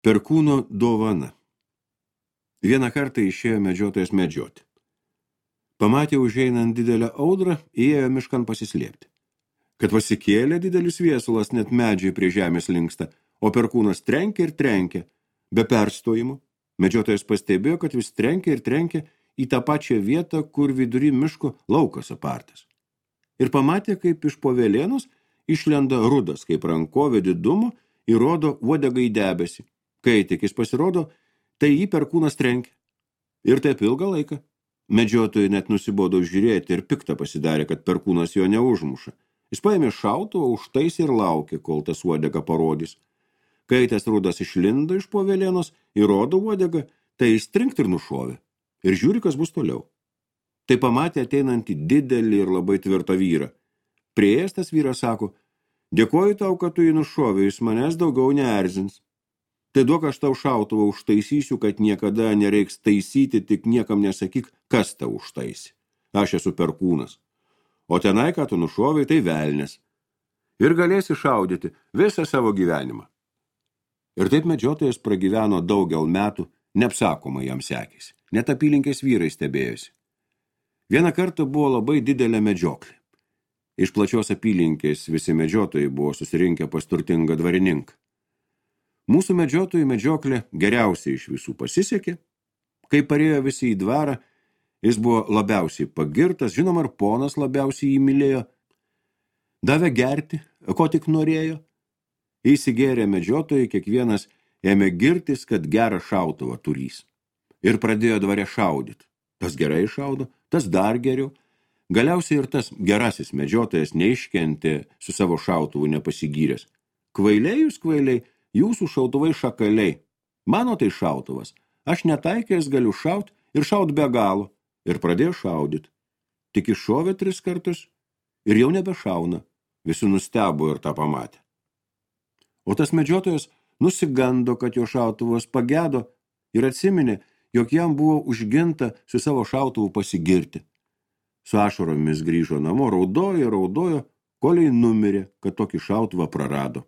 Perkūno dovana. Vieną kartą išėjo medžiotojas medžioti. Pamatė užeinant didelę audrą, įėjo miškan pasislėpti. Kad pasikėlė didelis viesulas, net medžiai prie žemės linksta, o perkūnas trenkia ir trenkia, be perstojimų. Medžiotojas pastebėjo, kad vis trenkia ir trenkia į tą pačią vietą, kur vidury miško laukas apartas. Ir pamatė, kaip iš po velėnos išlenda rudas, kaip rankovė didumo, ir rodo uodegą į debesį. Kai tik jis pasirodo, tai jį perkūnas trenkia. Ir taip ilgą laiką. Medžiotojai net nusibodo žiūrėti ir piktą pasidarė, kad perkūnas jo neužmuša. Jis paėmė šautuvą, užtaisė ir laukė, kol tas uodega parodys. Kai tas rudas išlindo iš po velėnos ir rodo uodegą, tai jis trinkt ir nušovė. Ir žiūri, kas bus toliau. Tai pamatė ateinantį didelį ir labai tvirtą vyrą. Priėjęs tas vyras sako: dėkoju tau, kad tu jį nušovė, jis manęs daugiau neerzins. Tai duok aš tau šautuvą užtaisysiu, kad niekada nereiks taisyti, tik niekam nesakyk, kas tau užtaisė. Aš esu perkūnas. O tenai, ką tu nušovai, tai velnias. Ir galėsi šaudyti visą savo gyvenimą. Ir taip medžiotojas pragyveno daugel metų, neapsakomai jam sekėsi. Net apylinkės vyrai stebėjosi. Vieną kartą buvo labai didelė medžioklė. Iš plačios apylinkės visi medžiotojai buvo susirinkę pas turtingą dvarininką. Mūsų medžiotojų medžioklė geriausiai iš visų pasisekė. Kai parėjo visi į dvarą, jis buvo labiausiai pagirtas, žinoma, ir ponas labiausiai jį mylėjo. Davė gerti, ko tik norėjo. Įsigėrė medžiotojai, kiekvienas ėmė girtis, kad gerą šautuvą turys. Ir pradėjo dvare šaudyti. Tas gerai šaudo, tas dar geriau. Galiausiai ir tas gerasis medžiotojas neiškentė su savo šautuvu nepasigyręs. Kvailiai jūs kvailiai, jūsų šautuvai šakaliai. Mano tai šautuvas. Aš netaikęs galiu šaut ir šaut be galo. Ir pradėjo šaudyti. Tik iššovė 3 kartus ir jau nebešauna. Visi nustebo ir tą pamatė. O tas medžiotojas nusigando, kad jo šautuvas pagedo ir atsiminė, jog jam buvo užginta su savo šautuvu pasigirti. Su ašaromis grįžo namo, raudojo, koliai numirė, kad tokį šautuvą prarado.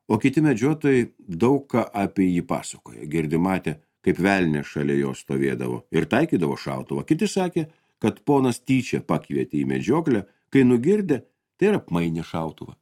O kiti medžiotojai daug ką apie jį pasakoja. Girdi matė, kaip velnė šalia jo stovėdavo ir taikydavo šautuvą. Kiti sakė, kad ponas tyčia pakvietė į medžioklę, kai nugirdė, tai ir apmainė šautuvą.